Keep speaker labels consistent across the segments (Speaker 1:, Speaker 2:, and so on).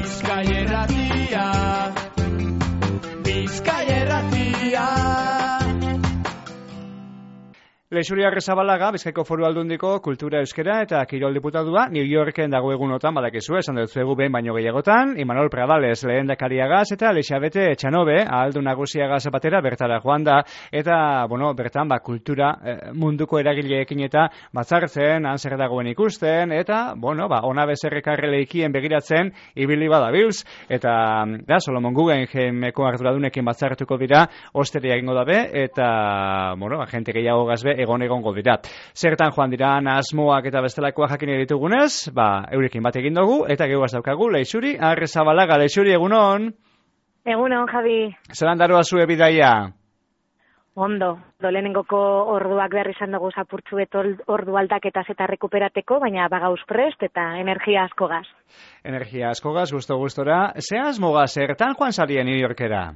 Speaker 1: Bizkaia Irratia, Bizkaia Irratia.
Speaker 2: Leixuri Arrizabalaga, Bizkaiko Foru Aldundiko Kultura Euskera eta Kirol Diputadua, New Yorken dago egunotan badakizu, esan dut zuegu behin baino gehiagotan, Imanol Pradales lehendakariagaz eta Elixabete Etxanobe, ahaldun nagusiagaz batera bertara joan da, eta, bertan, kultura munduko eragileekin eta batzartzen, han zer dagoen ikusten, eta, ona bezerrekarre leikien begiratzen, ibili badabilz, eta, Solomon Guggenheimeko arduradunekin batzartuko dira, osteria egingo dabe, eta, agente gehiago gazbe, egongo dira. Zertan joan dira asmoak eta bestelakoak jakin ditugunez, eurekin bat egin dugu, eta gehuaz daukagu, Leixuri Arrizabalaga. Leixuri, egunon?
Speaker 3: Egunon, Javi.
Speaker 2: Zeran daroa zue bidaia?
Speaker 3: Ondo, lehenengoko orduak behar izan dugu zapurtzu ordu aldaketaz eta rekuperateko, baina bagauz prest eta energia asko gaz.
Speaker 2: Energia asko gaz, gustora. Ze asmoga zertan joan zarien New Yorkera?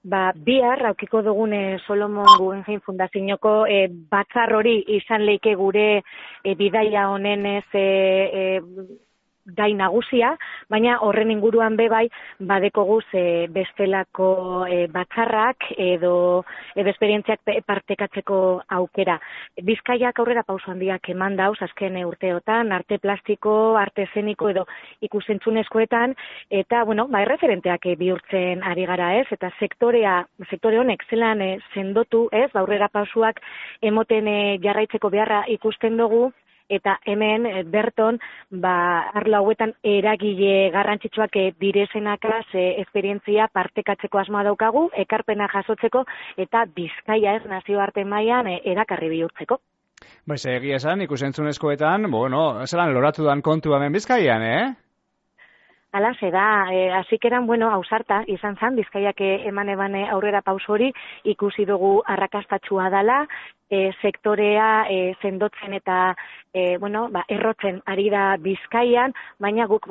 Speaker 3: Bihar aukiko dugune Solomon Guggenheim Fundazioko batzar hori izan leike gure bidaia honen gai nagusia, baina horren inguruan bebai badekoguz bestelako batzarrak edo esperientziak partekatzeko aukera. Bizkaiak aurrera pauso handiak eman dauz azken urteotan, arte plastiko, arte eszeniko edo ikusentzunezkoetan, eta erreferenteak bihurtzen ari gara ez, eta sektore honek zelan sendotu ez, aurrera pausuak emoten jarraitzeko beharra ikusten dugu, eta hemen berton arlo hauetan eragile garrantzitsuak direzenakaz esperientzia partekatzeko asmoa daukagu, ekarpena jasotzeko eta Bizkaia ez nazioarte mailan erakarri bihurtzeko.
Speaker 2: Egia esan, ikusentzunezkoetan, zelan loratu dan kontu hemen Bizkaian,
Speaker 3: Hala, da, azikeran, ausarta izan zan, Bizkaiak eman aurrera pauso hori ikusi dugu arrakastatxua dela, sektorea sendotzen eta errotzen ari da Bizkaian, baina guk,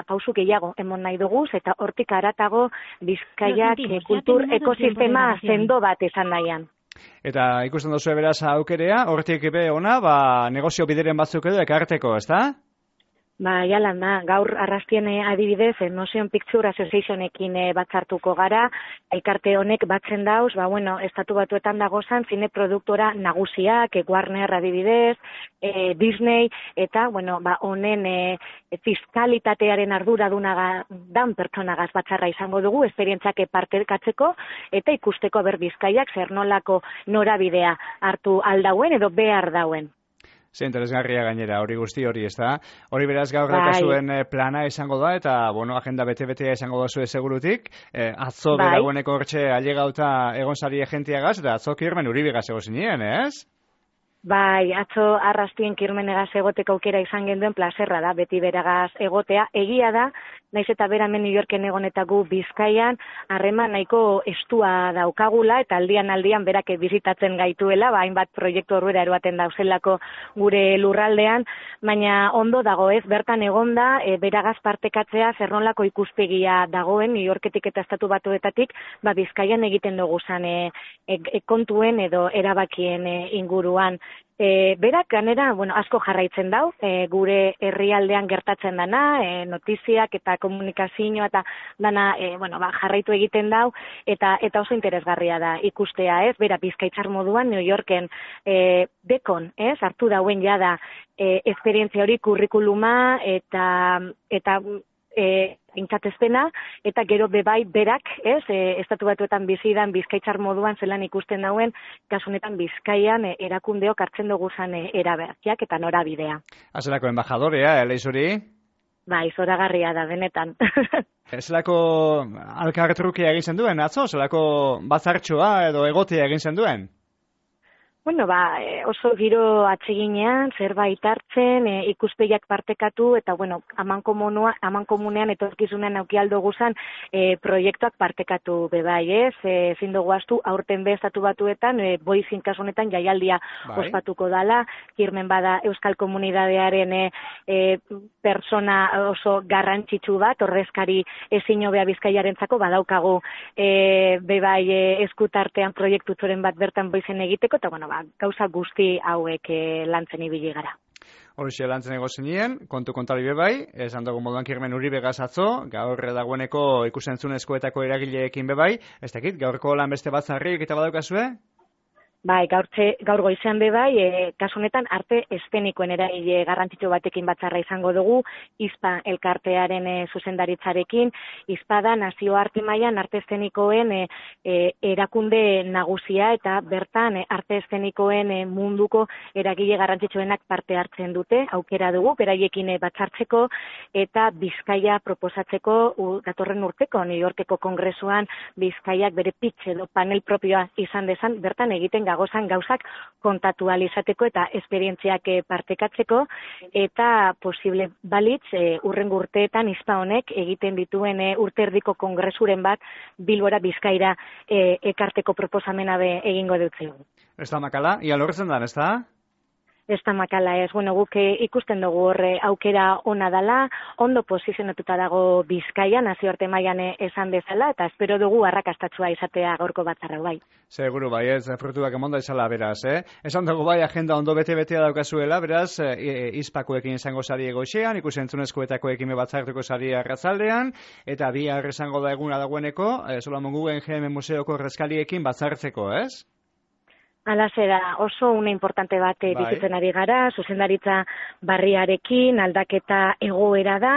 Speaker 3: pausu gehiago emon nahi duguz, eta hortik aratago Bizkaiak kultur ekosistema sendo bat izan nahian.
Speaker 2: Eta ikusten duzu beraz aukerea, hortik be ona, negozio bideren batzuk edo ekarteko, ez da?
Speaker 3: Jalan da, gaur arrastien adibidez, Motion Picture Associationekin batzartuko gara, elkarte honek batzen dauz, estatu batuetan dagozan, zine produktora nagusiak, Warner adibidez, Disney, eta, honen fiskalitatearen arduraduna dan pertsonagaz batzarra izango dugu, esperientziak partekatzeko, eta ikusteko Bizkaiak zer nolako norabidea hartu aldauen edo behar dauen.
Speaker 2: Ze interesgarria gainera, hori guzti hori, ez da? Hori beraz gaur zuen plana izango da, eta, agenda bete-betea izango da zuen segurutik. Atzo beragoeneko hortxe ailegauta egon zari egentiagaz, eta atzo Kirmen Uribigaz ego zinien, ez?
Speaker 3: Atzo arrastien Kirmenegaz egoteko aukera izan genduen plazerra da, beti beragaz egotea. Egia da, naiz eta beramen New Yorken egonetagu Bizkaian, harreman nahiko estua daukagula, eta aldian berak bizitatzen gaituela, hainbat proiektu horrela eroaten dauzelako gure lurraldean, baina ondo dago ez, bertan egonda, beragaz partekatzea zernolako ikuspegia dagoen, New Yorketik eta estatu batuetatik, Bizkaian egiten dugu zan kontuen edo erabakien inguruan. Berak ganera, asko jarraitzen dau, gure herrialdean gertatzen dana, notiziak eta komunikazioa eta dana, jarraitu egiten dau, eta oso interesgarria da ikustea, ez? Bera, Bizkaitzar moduan, New Yorken dekon, ez? Hartu dauen jada esperientzia hori kurrikuluma eta intzatezpena, eta gero bebai berak, ez, estatu batuetan bizidan Bizkaitzar moduan zelan ikusten dauen, kasunetan Bizkaian erakundeok hartzen dugu zan erabertiak eta norabidea.
Speaker 2: Azelako embajadorea, Leixuri?
Speaker 3: Zoragarria da, benetan.
Speaker 2: Zelako alkartrukia egin zen duen, atzo? Zelako batzartxoa edo egotea egin zen duen?
Speaker 3: Oso giro atseginean, zerbait hartzen, ikuspegiak partekatu, eta, amankomunean etorkizunean aukialdo guzan proiektuak partekatu bebai, ez? Ezin dugu astu, aurten estatu batuetan, boizin kasunetan jaialdia ospatuko dala, Kirmen bada Euskal Komunidadearen persona oso garrantzitsu bat, ordezkari ezin hobea Bizkaiarentzako badaukagu bebai eskutartean proiektu zoren bat bertan boizen egiteko, eta, gauza guzti hauek lantzen ibili gara.
Speaker 2: Horixe lantzen ego zinien, kontu kontari bebai, esan dugu moduan Kirmen Uribe atzo, gaur dagoeneko ikusentzunezkoetako eragileekin bebai, ez dakit, gaurko lan beste batzarrik eta badaukazue?
Speaker 3: Bai, gaur goizean bebai, kasu honetan arte eszenikoen eragile garrantzitsu batekin batzarra izango dugu, ISPA elkartearen zuzendaritzarekin. ISPA da nazioarte mailan arte eszenikoen erakunde nagusia eta bertan arte eszenikoen munduko eragile garrantzitsuenak parte hartzen dute, aukera dugu, beraiekin batzartzeko eta Bizkaia proposatzeko datorren urteko New Yorkeko kongresuan Bizkaiak bere pitch edo panel propioa izan dezan, bertan egiten gozan gauzak kontatu izateko eta esperientziak partekatzeko eta posible balitz urrengo urteetan ISPA honek egiten dituen urterdiko kongresuren bat Bilbora Bizkaira ekarteko proposamena egingo dutzen.
Speaker 2: Ez da makala, ia lortzen da, ez da?
Speaker 3: Ez da makala ez, guk ikusten dugu horre aukera ona dela, ondo posizionatuta dago Bizkaia, nazioarte mailan esan bezala, eta espero dugu arrakastatsua izatea gaurko batzarra bai.
Speaker 2: Seguru bai, ez, frutuak emonda izala beraz, Esan dugu bai, agenda ondo bete-betea daukazuela, beraz, ISPAkoekin izango sari egoixean, ikusentzunezkoetakoekin batzartuko sari arratzaldean, eta bihar esango da eguna dagoeneko, Solomon Guggenheim museoko reskaliekin batzartzeko, ez?
Speaker 3: Alazera, oso une importante bat bizitzen ari gara, zuzendaritza barriarekin, aldaketa egoera da,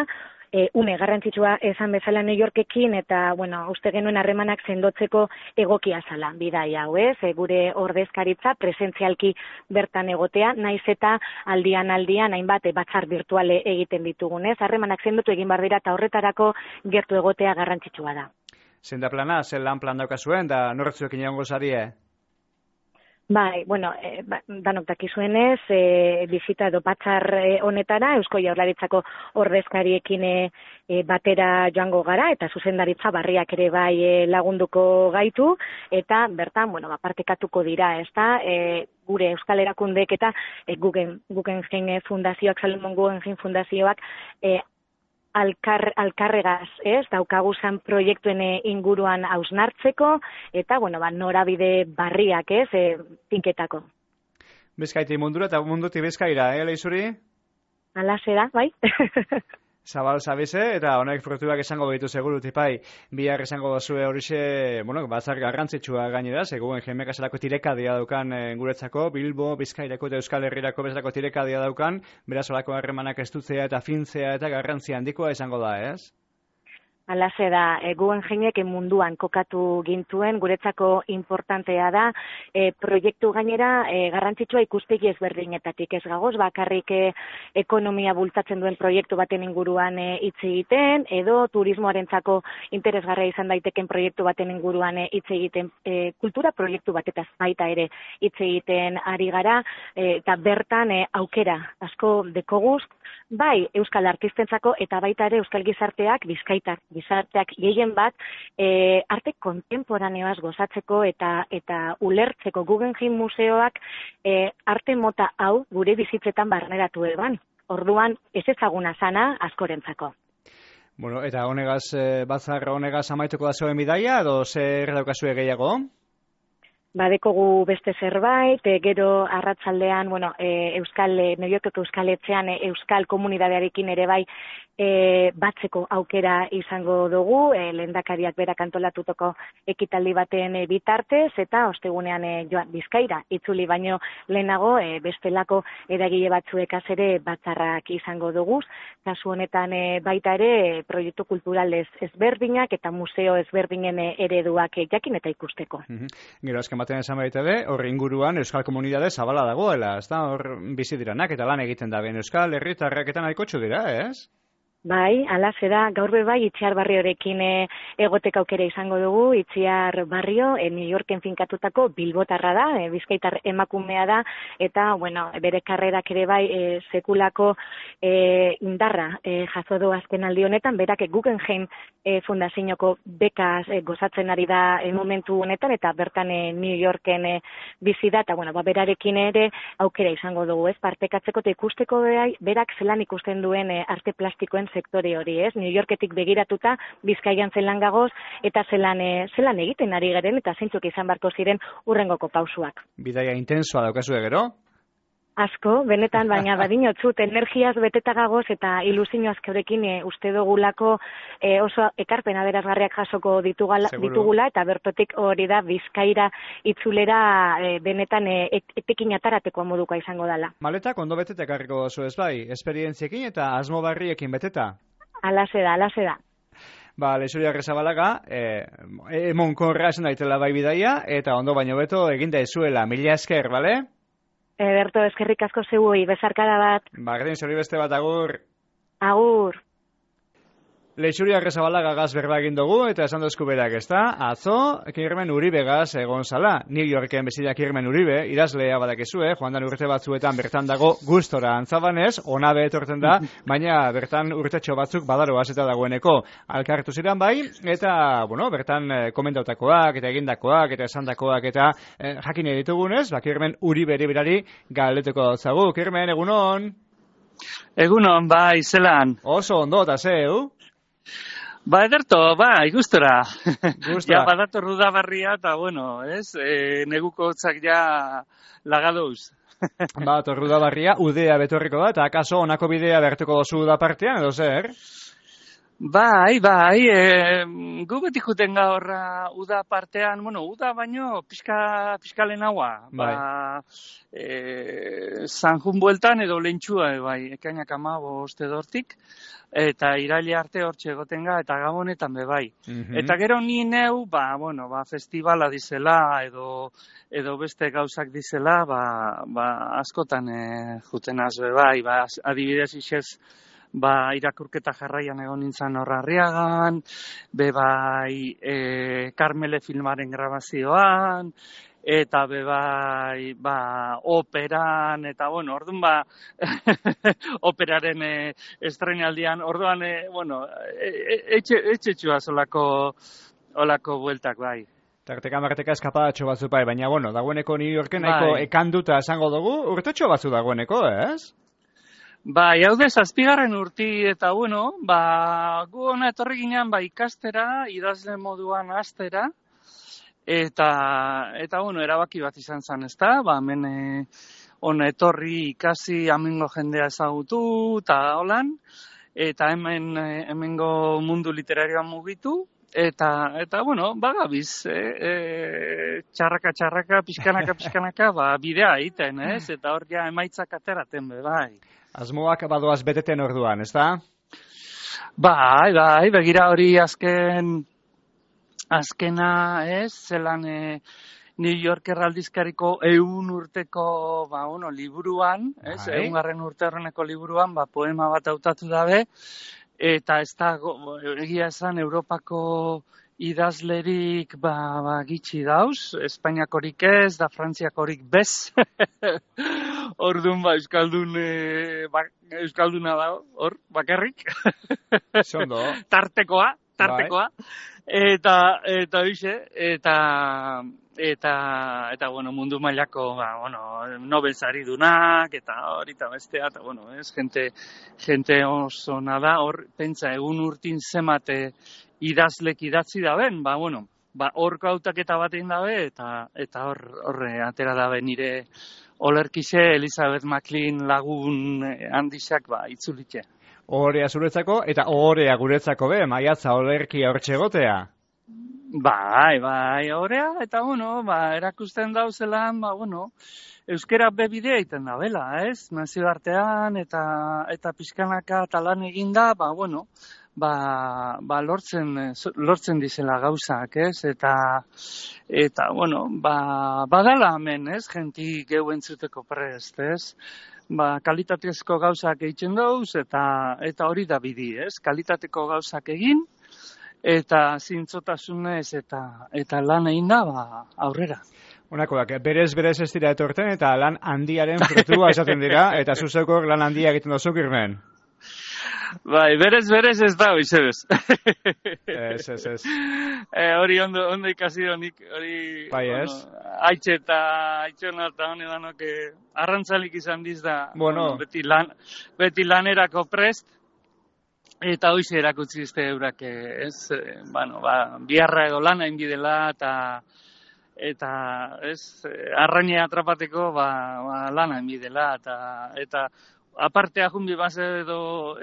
Speaker 3: une garrantzitsua esan bezala New Yorkekin, eta, uste genuen harremanak sendotzeko egokia zala, bidai hau ez, gure ordezkaritza presentzialki bertan egotea, naiz eta aldian hainbat batzar virtuale egiten ditugunez, harremanak sendotu egin bar dira eta horretarako gertu egotea garrantzitsua da.
Speaker 2: Zein da plana, zen lan plan daukazuen, da norretzuekin egongo zarie?
Speaker 3: Bai, danok dakizuenez, bizita edo batzar honetara, Eusko Jaurlaritzako ordezkariekin batera joango gara, eta zuzendaritza barriak ere bai lagunduko gaitu, eta bertan, partekatuko dira, ez da, gure Euskal Erakundeek eta Guggenheim Fundazioak, Solomon Guggenheim Fundazioak, alkarregaz, daukaguzan proiektuen inguruan hausnartzeko, eta, norabide barriak, tinketako.
Speaker 2: Bizkaiti mundura eta munduti Bizkaira, Leizuri?
Speaker 3: Alaxe da, bai.
Speaker 2: Zabal zabize, eta honek frutuak esango behitu seguru, tipai, bihar esango bazue horixe, batzar garrantzitsua gainera, seguen jemek azelako tirekadia daukan guretzako, Bilbo, Bizkairako eta Euskal Herrirako bezalako tirekadia daukan, beraz olako harremanak estutzea eta fintzea eta garrantzia handikoa esango da, ez?
Speaker 3: Alaxe da, Guggenheimek munduan kokatu gintuen, guretzako importantea da, proiektu gainera garrantzitsua ikuspegi ezberdinetatik ez gagoz, bakarrik ekonomia bultzatzen duen proiektu baten inguruan hitz egiten, edo turismoarentzako interesgarria izan daiteken proiektu baten inguruan hitz egiten, kultura proiektu batetaz baita ere hitz egiten ari gara, eta bertan aukera asko dekoguz, bai Euskal Artistentzako eta baita ere Euskal Gizarteak, gizarteak gehien bat, arte kontemporaneoaz gozatzeko eta ulertzeko Guggenheim museoak arte mota hau gure bizitzetan barneratu eban. Orduan ez ezaguna zana askorentzako.
Speaker 2: Eta honegaz, batzar honegaz amaituko da zoen bidaia, edo zer daukazue gehiago?
Speaker 3: Badekogu beste zerbait, gero arratsaldean, New Yorkeko Euskal Etxean Euskal Komunidadearekin ere bai batzeko aukera izango dugu, lehendakariak berak antolatutako ekitaldi baten bitartez, eta ostegunean joan Bizkaira itzuli baino lehenago bestelako eragile batzuekaz ere batzarrak izango dugu, kasu honetan baita ere proiektu kulturalez ezberdinak eta museo ezberdinen ereduak jakin eta ikusteko.
Speaker 2: Gero azken batean esan baita be, horri inguruan Euskal Komunidade zabala dagoela, ez da, hor bizi diranak eta lan egiten da, Euskal Herritarrak eta nahikotxu dira, ez?
Speaker 3: Bai, alaxe da, gaur bai Itziar Barriorekin egoteka aukera izango dugu, Itziar Barrio, New Yorken finkatutako bilbotarra da, bizkaitar emakumea da, eta, bere karrerak ere bai sekulako indarra jaso du azken aldi honetan, berak Guggenheim Fundazioko bekaz gozatzen ari da momentu honetan, eta bertan New Yorken bizi da, eta, berarekin ere aukera izango dugu, ez, partekatzeko eta ikusteko berak zelan ikusten duen arte plastikoen sektore hori, ez? New Yorketik begiratuta, Bizkaian zelan gagoz, eta zelan egiten ari garen, eta zeintzuk izan barko ziren urrengoko pausuak.
Speaker 2: Bidaia intensoa daukazue gero?
Speaker 3: Asko, benetan, baina badinotzut, energiaz beteta gagoz eta ilusio azkeurekin uste dugulako oso ekarpen aberazgarriak jasoko ditugula eta bertotik hori da Bizkaira itzulera benetan etekin ataratekoa modukoa izango dela.
Speaker 2: Maletak ondo beteta ekarriko oso ez bai, esperientziekin eta asmo barriekin beteta?
Speaker 3: Alaze da.
Speaker 2: Ba, Leixuri Arrizabalaga, emonkorra esan daitela bai bidaia, eta ondo baino beto eginda ezuela, mila esker, bale?
Speaker 3: Berto, eskerrik asko zeuei, bezarkada bat.
Speaker 2: Bardin, zori beste bat, agur.
Speaker 3: Agur.
Speaker 2: Leixuri Arrizabalaga gaz berba egin dugu, eta esan dozku berak, ezta? Atzo, Kirmen Uribe gaz egon zala. New Yorken bezila Kirmen Uribe, idazlea badakezue, joan dan urte batzuetan bertan dago gustora antzabanez, ona behetorten da, baina bertan urtetxo batzuk badaroaz eta dagoeneko alkartu ziren bai, eta, bueno, bertan komentautakoak, eta egindakoak, eta esandakoak, eta jakin editugunez, Kirmen Uribe berari galdeteko zagu. Kirmen, egunon?
Speaker 4: Egunon, bai, zelan.
Speaker 2: Oso ondo, eta zeu?
Speaker 4: Ba, ederto, gustora.
Speaker 2: Gustora.
Speaker 4: Ja, badator Udabarria, eta, bueno, ez, neguko hotzak ja lagadouz.
Speaker 2: Ba, Udabarria, udea betorriko da, eta akaso onako bidea bertuko dozu da partean, edo zer?
Speaker 4: Bai, gu beti juten gaurra uda partean, bueno, uda baino piskalen haua.
Speaker 2: Bai.
Speaker 4: Sanjun bueltan edo lentxua, bai, ekainak 15 edortik, eta iraile arte hortxe egotenga, eta gabonetan be bai. Eta gero ni neu, festivala dizela, edo beste gauzak dizela, askotan juten azbe bai, adibidez isez, irakurketa jarraian egon nintzen Horrarriagan, bai Karmele filmaren grabazioan, eta bai operan, eta bueno, orduan operaren estrenaldian, orduan, etxetxua olako bueltak bai.
Speaker 2: Tarteka eskapadatxo batzu bai, baina bueno, dagoeneko New Yorken nahiko ekanduta esango dugu, urtetxo batzu dagoeneko, ez?
Speaker 4: Bai, hau de 7. urti, eta bueno, gu hona etorri ginen ikastera, idazle moduan hastera, eta bueno, erabaki bat izan zen, ezta? Hemen hona etorri ikasi amengo jendea ezagutu, eta holan, eta hemengo mundu literarioan mugitu, eta bueno, bagabiz, txarraka, pixkanaka, bidea egiten, ez? Eta hor ja emaitzak ateraten be, bai.
Speaker 2: Asmoak badoaz beteten orduan, ez da?
Speaker 4: Bai, begira hori azkena, ez, zelan New Yorker aldizkariko 100 urteko, liburuan, ez, 100. urte horreneko liburuan, poema bat hautatu dabe, eta ez da, egia esan, Europako idazlerik gitxi dauz, Espainiakorik ez, da Frantziakorik bez. Orduan Euskalduna da, hor, bakarrik.
Speaker 2: Zondo.
Speaker 4: Tartekoa. Eta hoxe, eta bueno, mundu mailako, Nobel saridunak, eta hori eta bestea, eta bueno, ez, gente oso nada, hor, pentsa, egun urtin zemate idazlek idatzi daben, horko hautaketa batein dabe, eta horre atera dabe nire olerkixe Elizabeth McLean lagun handixak itzulitxe.
Speaker 2: Ohorea zuretzako, eta ohorea guretzako be, maiatza olerki hortxe egotea.
Speaker 4: Bai, ohorea, eta bueno, erakusten dauzelan, euskera bebidea egiten da, bela, ez? Nazioartean, eta pixkanaka talan eginda, lortzen dizela gauzak, ez? Eta bueno, badala hemen, ez? Genti geu entzuteko prest, ez? Kalitatezko gauzak egiten dauz, eta hori da bidi, ez? Kalitateko gauzak egin, eta zintzotasunez, eta lan egin da, aurrera.
Speaker 2: Honakoak, berez ez dira etorten, eta lan handiaren frutua esaten dira, eta zuzekor lan handia egiten dozu, Kirmen.
Speaker 4: Bai, berez ez da, izebez.
Speaker 2: Ez.
Speaker 4: Hori ondo ikasi honik, hori...
Speaker 2: Bai, ez?
Speaker 4: Aitxe eta aitxona eta hone danok arrantzalik izan diz da, beti lanerako prest, eta hoize erakutsi izte eurak, ez? Biharra edo lana inbidela, eta arraina atrapateko lana emidela, eta apartea jun bibaz edo,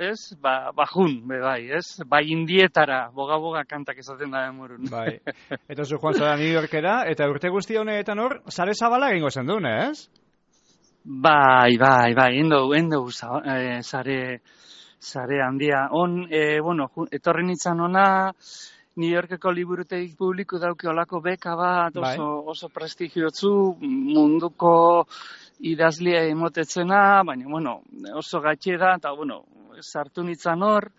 Speaker 4: jun, bai, bai indietara, boga kantak esaten da demorun.
Speaker 2: Bai, eta zu joan zara New Yorkera, eta urte guzti honetan hor, sare zabala egingo zen duen, ez?
Speaker 4: Bai, endo sare handia. Etorri nintzen ona, New Yorkeko liburutegi publiko dauki olako beka bat, oso prestigiotzu, munduko idazlia emotetzena, baina, oso gatxe da, eta, sartu nintzen hor,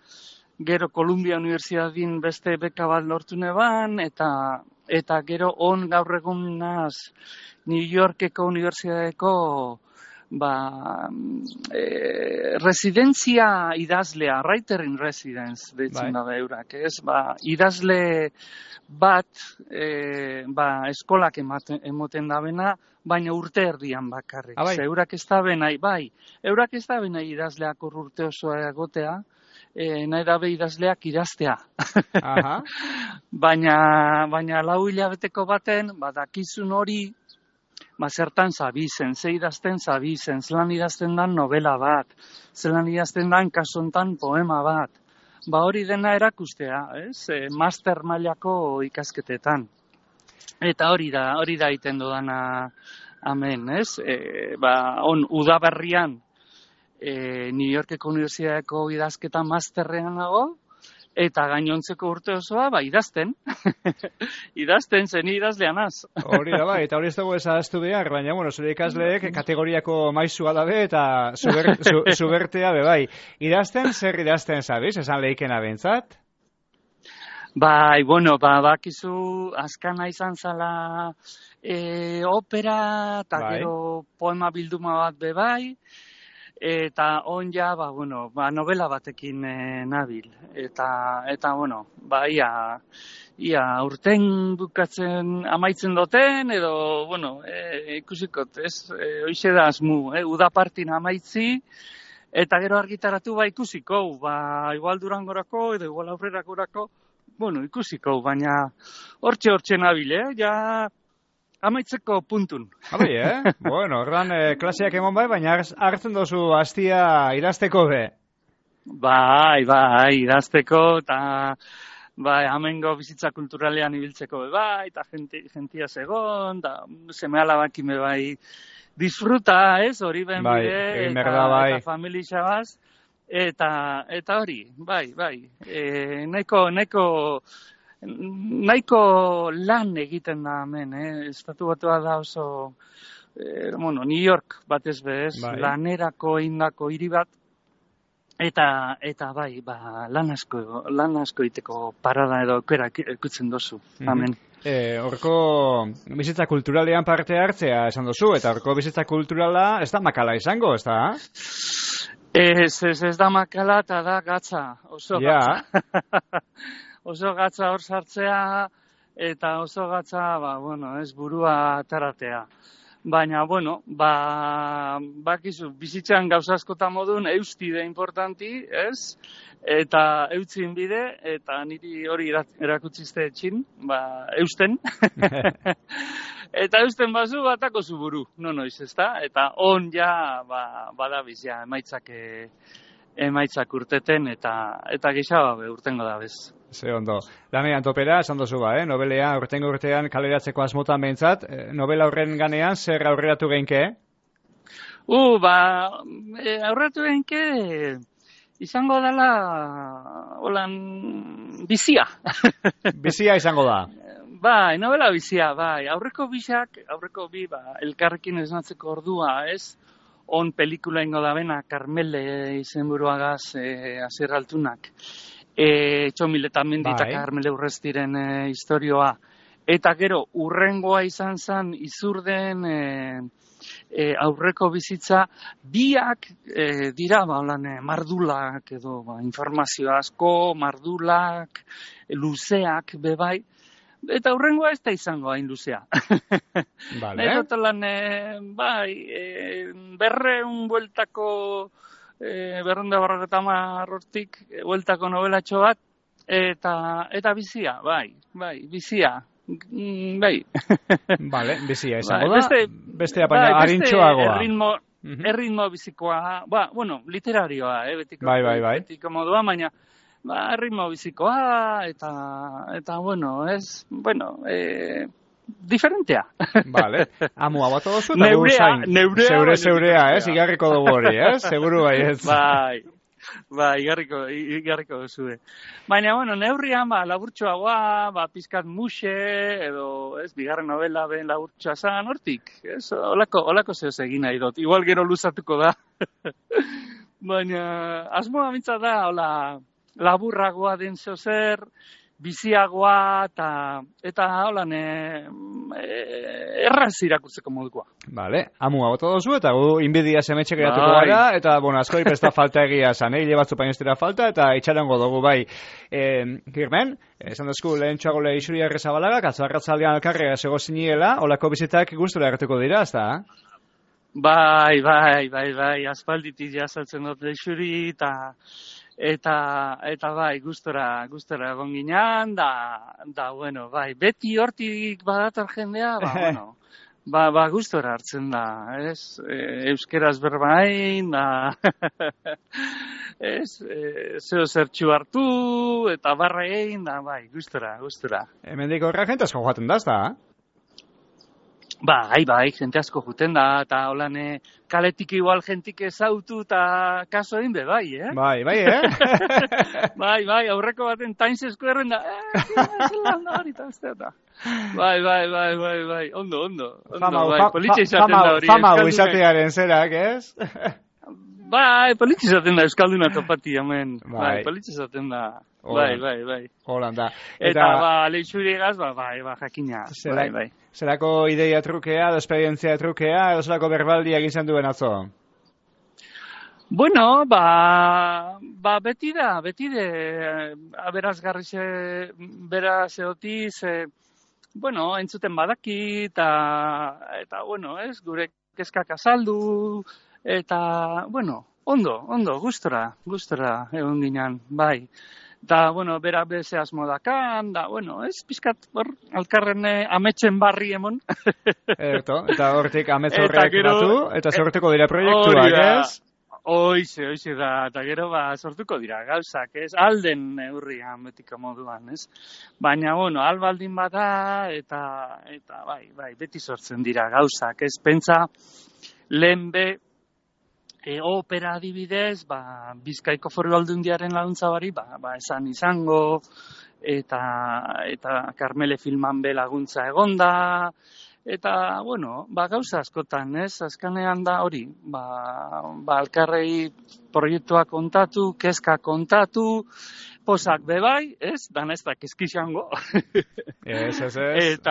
Speaker 4: gero Columbia Universidadin beste beka bat lortu neban, eta gero gaur egun naz New Yorkeko Universidadeko residentzia idazlea, writer in residence, deitzen da eurak, idazle bat, eskolak emoten da bena, baina urte erdian bakarrik. Eurak ez da benai, eurak ez da benai idazleak urte osoa egotea, nahi dabe idazleak idaztea. Baina 4 hilabeteko baten, dakizun hori, zertan zabizen, ze idazten zabizen, zelan idazten dan novela bat, zelan idazten dan kasontan poema bat. Hori dena erakustea, master mailako ikasketetan. Eta hori da iten dudana hemen, udaberrian New Yorkeko Unibertsitateko idazketa masterrean nago, eta gainontzeko urte osoa, idazten. Idazten zen idazleanaz.
Speaker 2: Hori da, eta hori ez dago ezaztu behar, baina, zure ikasleek kategoriako maizua dabe eta zubertea bai. Idazten, zer idazten zabiz, esan lehikena bentsat?
Speaker 4: Bakizu, askana izan zala opera, eta gero poema bilduma bat bebai, eta novela batekin nabil. Ia urten bukatzen amaitzen duten, edo, ikusikot, hoize da asmu, udapartin amaitzi, eta gero argitaratu ikusiko, igual Durangorako, edo igual aurrerakorako, ikusiko, baina hortxe nabil, ja amaitzeko puntun.
Speaker 2: Horran klaseak emon baina hartzen dozu hastia idazteko be?
Speaker 4: Idazteko, eta hamengo bizitza kulturalean ibiltzeko eta jentia segon, eta seme alabakin disfruta, hori ben bide, eta familia baz, eta hori, nahiko lan egiten da hemen, estatu batua da oso, New York batez bez, lanerako eindako hiri bat, eta lan asko iteko parada edo aukera ikutzen dozu, hemen.
Speaker 2: Horko bizitza kulturalean parte hartzea esan dozu, eta horko bizitza kulturala ez da makala izango, ez da?
Speaker 4: Ez da makala eta da gatza, oso gatza. Oso gatza hor sartzea, eta oso gatza, ez burua ataratea. Baina, bakizu, bizitzan gauza askotan modun, eustide importanti, ez? Eta eutzin bide, eta niri hori erakutzizte etxin, eusten. Eta eusten bazu batako zu buru, noiz, ezta? Eta ja, badabiz, ja, emaitzak urteten, eta gixaba urtengo da bez.
Speaker 2: Ze ondo. Lanean topera, esan dozu nobelea urtengo urtean kaleratzeko asmotan behintzat, novela horren ganean, zer aurreratu geinke?
Speaker 4: Aurreratu geinke, izango dela, bizia.
Speaker 2: Bizia izango da?
Speaker 4: Novela bizia, aurreko bi, elkarrekin esnatzeko ordua, ez? On pelikula ingo da bena, Karmele izenburuagaz Asier Altunak. Txomil eta Mendi eta Karmele Urrestiren historioa. Eta gero, urrengoa izan zen Izurden aurreko bizitza, biak dira, mardulak edo informazio asko, mardulak, luzeak bebai. Eta hurrengoa ez da izango hain luzea. Berreun bueltako, berrunda barreta marrotik, bueltako novelatxo bat, eta bizia, bizia. bai.
Speaker 2: Vale, bizia izango
Speaker 4: Bai,
Speaker 2: da. Bestea baina arintxoagoa.
Speaker 4: Erritmo bizikoa, bueno, literarioa, betiko.
Speaker 2: Bai.
Speaker 4: Betiko modua, baina, erritmo bizikoa, eta bueno, diferentea.
Speaker 2: Vale, amua bat odozu, eta gu zain. Zeurea, igarriko dugu hori, seguru bai ez.
Speaker 4: Bai, igarriko duzu. Baina, bueno, neurrian, laburtxoagoa, pizkat muxe, edo, bigarren novela ben laburtxoa zan, hortik, olako zehoz egin nahi dut. Igual gero luzatuko da. Baina, asmoa mintza da, hola, laburragoa den zehozer, biziagoa, eta holan, erraz irakurtzeko modukoa.
Speaker 2: Vale, amua bota dozu, eta gu inbidia semetxe geratuko gara, eta, bueno, askori pesta falta egia zan, hile batzu painestira falta, eta itxarango dugu, bai. Kirmen, esan dazku, lehen txago Leixuri Arrizabalaga, atzarratzaldean alkarrera zego ziniela, holako bizitak gustura gertuko dira, ez da?
Speaker 4: Bai, aspalditik jazaltzen dut Leixuri, eta bai, gustora egon ginean, da, bueno, bai, beti hortik badator jendea, bueno, gustora hartzen da, ez, euskeraz berbain, da, ez, zeo zertxu hartu, eta barra egin, da, bai, gustora.
Speaker 2: Hemendik horra jente asko joaten da, ez da?
Speaker 4: Bai, jente asko juten da, eta holan kaletik igual jentik ezautu eta kaso egin be, bai,
Speaker 2: Bai,
Speaker 4: Bai, aurreko baten tainzesko erren da, Bai, ondo, politxe izaten da hori.
Speaker 2: Fama izatearen zerak, ez?
Speaker 4: Bai, politxe izaten da Euskalduna topati, hemen, bai, politxe izaten da. Bai.
Speaker 2: Holanda.
Speaker 4: Eta Leixuriegaz, jakina. Bai.
Speaker 2: Zerako ideia trukea, esperientzia trukea, edo zerako berbaldia egin duen atzo?
Speaker 4: Bueno, beti aberazgarri beraz eotiz, bueno, entzuten badaki, eta bueno, gure kezkak azaldu, eta, bueno, ondo, gustora egon ginen, bai. Da, bueno, bera beze asmo dakan, da, bueno, pizkat hor, alkarren ametxen barri emon.
Speaker 2: Eta hortik ametz horrek batu, eta sortuko dira proiektuak, ez?
Speaker 4: Hoize da, eta gero sortuko dira gauzak, ez? Alden neurrian betiko moduan, ez? Baina, bueno, albaldin bada, eta bai, beti sortzen dira gauzak, ez? Pentsa, lehen opera adibidez, Bizkaiko Foru Aldundiaren laguntza bari, esan izango, eta Karmele filman be laguntza egonda, eta, bueno, gauza askotan, ez? Azkanean da hori, alkarrei proiektua kontatu, kezka kontatu, posak bebai, ez? Dan ez da kezkixango.
Speaker 2: Ez.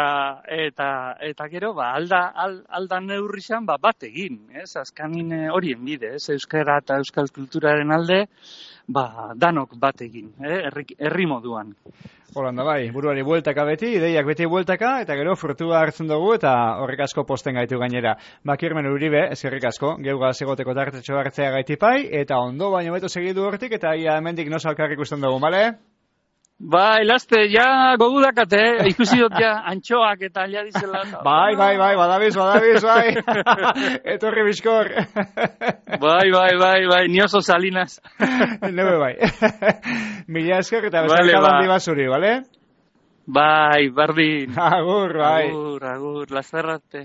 Speaker 4: Eta gero, alda neurri xan, bat egin, ez? Azkanin horien bide, ez? Euskara eta euskal kulturaren alde, danok bat egin, herri moduan.
Speaker 2: Holanda bai, buruari bueltaka beti, ideiak beti bueltaka, eta gero frutua hartzen dugu, eta horrek asko posten gaitu gainera. Kirmen Uribe, eskerrik asko, geugaz egoteko tartetxo hartzea gaitipai, eta ondo baino beto segidu hortik, eta ia hemendik nosa alkarrik usten dugu, bale?
Speaker 4: Bai, laste, ja gogudakate, ikusi dut ja antxoak eta alia dizela.
Speaker 2: Bai, badabiz, bai. Etorri bizkor.
Speaker 4: Bai, ni oso salinas.
Speaker 2: Nebe bai. Mila esker eta bezarka bandi basuri, bale?
Speaker 4: Bai, bardin.
Speaker 2: Agur, bai.
Speaker 4: Agur, lasterrate.